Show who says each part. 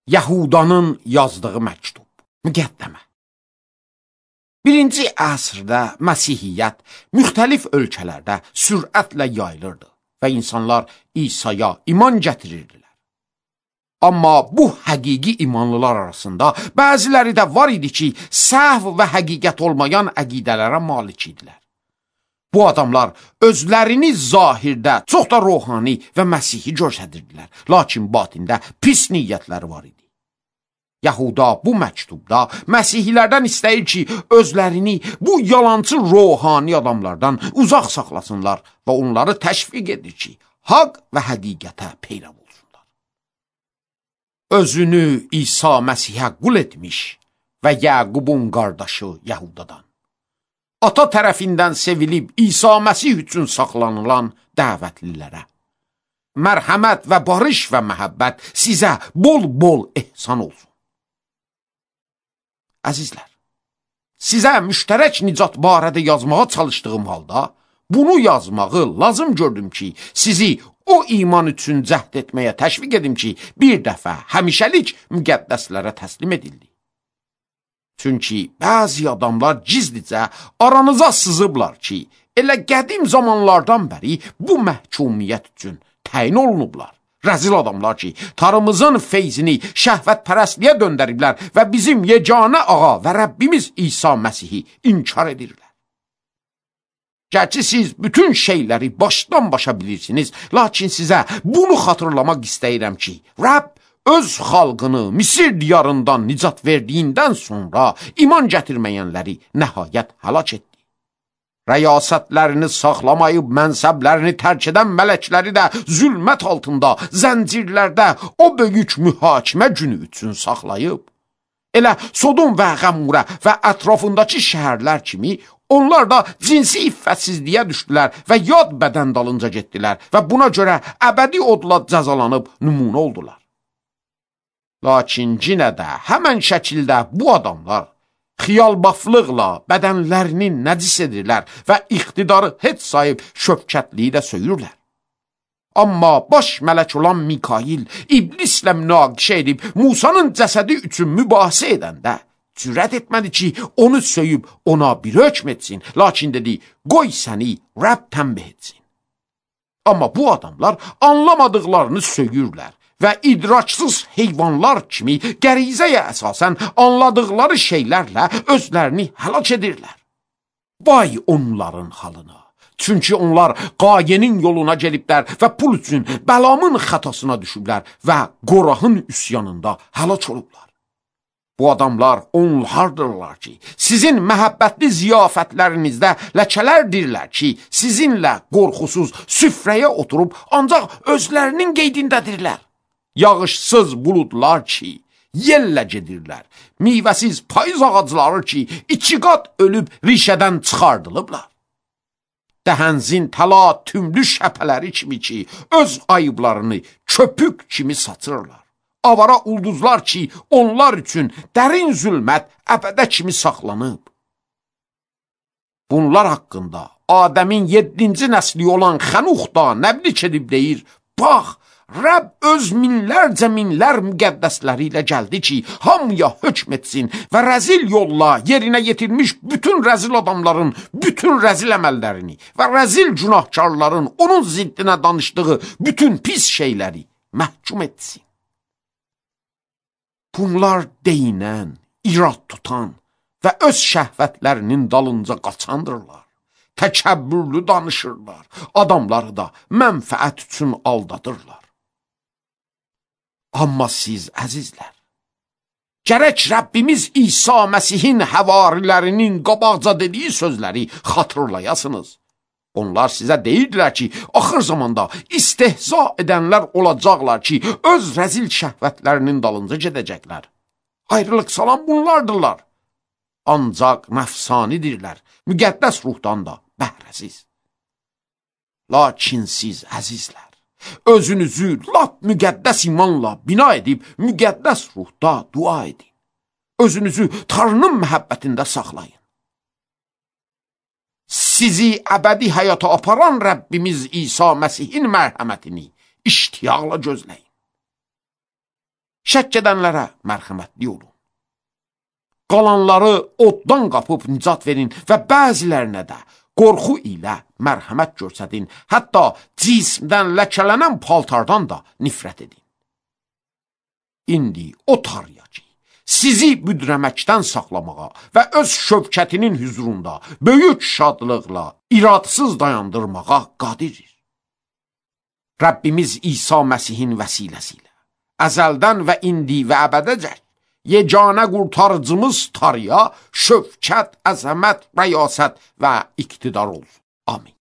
Speaker 1: Yahudanın yazdığı məktub. Müqəddəmə. 1-ci əsrdə Məsihiyyət müxtəlif ölkələrdə sürətlə yayılırdı və insanlar İsa'ya iman gətirirdilər. Amma bu həqiqi imanlılar arasında bəziləri də var idi ki, səhv və həqiqət olmayan əqidələrə malik idilər. Bu adamlar özlərini zahirdə çox da ruhani və Məsihi göstərirdilər, lakin batində pis niyyətləri var idi. Yahuda bu məktubda Məsihilərdən istəyir ki, özlərini bu yalancı ruhani adamlardan uzaq saxlasınlar və onları təşviq edir ki, haqq və həqiqətə peyrav olsunlar. Özünü İsa Məsihə qul etmiş və Yaqubun qardaşı Yahudadan, ata tərəfindən sevilib İsa Məsih üçün saxlanılan dəvətlilərə, mərhəmət və barış və məhəbbət sizə bol-bol ehsan olsun. Əzizlər, sizə müştərək nicat barədə yazmağa çalışdığım halda, bunu yazmağı lazım gördüm ki, sizi o iman üçün cəhd etməyə təşviq edim ki, bir dəfə həmişəlik müqəddəslərə təslim edildi. Çünki bəzi adamlar gizlicə aranıza sızıblar ki, elə qədim zamanlardan bəri bu məhkumiyyət üçün təyin olunublar. Rəzil adamlar ki, tarımızın feyzini şəhvətpərəstliyə döndəriblər və bizim yeganə ağa və Rəbbimiz İsa Məsihi inkar edirlər. Gerçi siz bütün şeyləri başdan başa bilirsiniz, lakin sizə bunu xatırlamaq istəyirəm ki, Rəbb öz xalqını Misir diyarından nicat verdiyindən sonra iman gətirməyənləri nəhayət həlak etdi. Rəyasətlərini saxlamayıb mənsəblərini tərk edən mələkləri də zülmət altında, zəncirlərdə o böyük mühakimə günü üçün saxlayıb. Elə Sodom və Qəmurə və ətrafındakı şəhərlər kimi onlar da cinsi iffətsizliyə düşdülər və yad bədən dalınca getdilər və buna görə əbədi odla cəzalanıb nümunə oldular. Lakin yenə də həmən şəkildə bu adamlar xiyalbaflıqla bədənlərini nəcis edirlər və iqtidarı heç sayıb şöfkətliyi də söyürlər. Amma baş mələk olan Mikail iblislə münaqişə edib Musanın cəsədi üçün mübahisə edəndə cürət etmədi ki, onu söyüb ona bir hökm etsin, lakin dedi, qoy səni Rəbb tənbih etsin. Amma bu adamlar anlamadıqlarını söyürlər və idraçsız heyvanlar kimi qərizəyə əsasən anladıqları şeylərlə özlərini həlak edirlər. Vay onların halına! Çünki onlar qayenin yoluna geliblər və pul üçün Bəlamın xətasına düşüblər və Qorahın üsyanında həlak olublar. Bu adamlar onlardırlar ki, sizin məhəbbətli ziyafətlərinizdə ləkələrdirlər ki, sizinlə qorxusuz süfrəyə oturub ancaq özlərinin qeydindədirlər. Yağışsız buludlar ki, yellə gedirlər, meyvəsiz payız ağacları ki, 2 qat ölüb rişədən çıxardılıblar. Dəhənzin təla tümlü şəpələri kimi ki, öz ayıblarını köpük kimi saçırlar. Avara ulduzlar ki, onlar üçün dərin zülmət əbədə kimi saxlanıb. Bunlar haqqında Adəmin 7-ci nəsli olan Xənux da nəblik edib deyir, bax, Rəbb öz minlərcə minlər müqəddəsləri ilə gəldi ki, hamıya hökm etsin və rəzil yolla yerinə yetirmiş bütün rəzil adamların bütün rəzil əməllərini və rəzil günahkarların onun ziddinə danışdığı bütün pis şeyləri məhkum etsin. Bunlar deyinən, irad tutan və öz şəhvətlərinin dalınca qaçandırlar. Təkəbbürlü danışırlar, adamları da mənfəət üçün aldadırlar. Amma siz, əzizlər, gərək Rəbbimiz İsa Məsihin həvarilərinin qabaqca dediyi sözləri xatırlayasınız. Onlar sizə deyirdilər ki, axır zamanda istehza edənlər olacaqlar ki, öz rəzil şəhvətlərinin dalınca gedəcəklər. Ayrılıq salan bunlardırlar. Ancaq nəfsanidirlər, müqəddəs ruhdan da bəhrəsiz. Lakin siz, əzizlər, özünüzü lap müqəddəs imanla bina edib, müqəddəs ruhda dua edin. Özünüzü Tanrının məhəbbətində saxlayın. Sizi əbədi həyata aparan Rəbbimiz İsa Məsihin mərhəmətini iştiyaqla gözləyin. Şəkk edənlərə mərhəmətli olun. Qalanları oddan qapıb nicat verin və bəzilərinə də qorxu ilə mərhəmət göstərin, hətta cismdən ləkələnən paltardan da nifrət edin. İndi o Tanrıya ki, sizi büdrəməkdən saxlamağa və öz şövkətinin hüzurunda böyük şadlıqla iradısız dayandırmağa qadirdir. Rəbbimiz İsa Məsihin vəsiləsi ilə əzəldən və indi və əbədəcək yeganə qurtarıcımız Tanrıya şövkət, əzəmət, rəyasət və iqtidar olsun. Amin.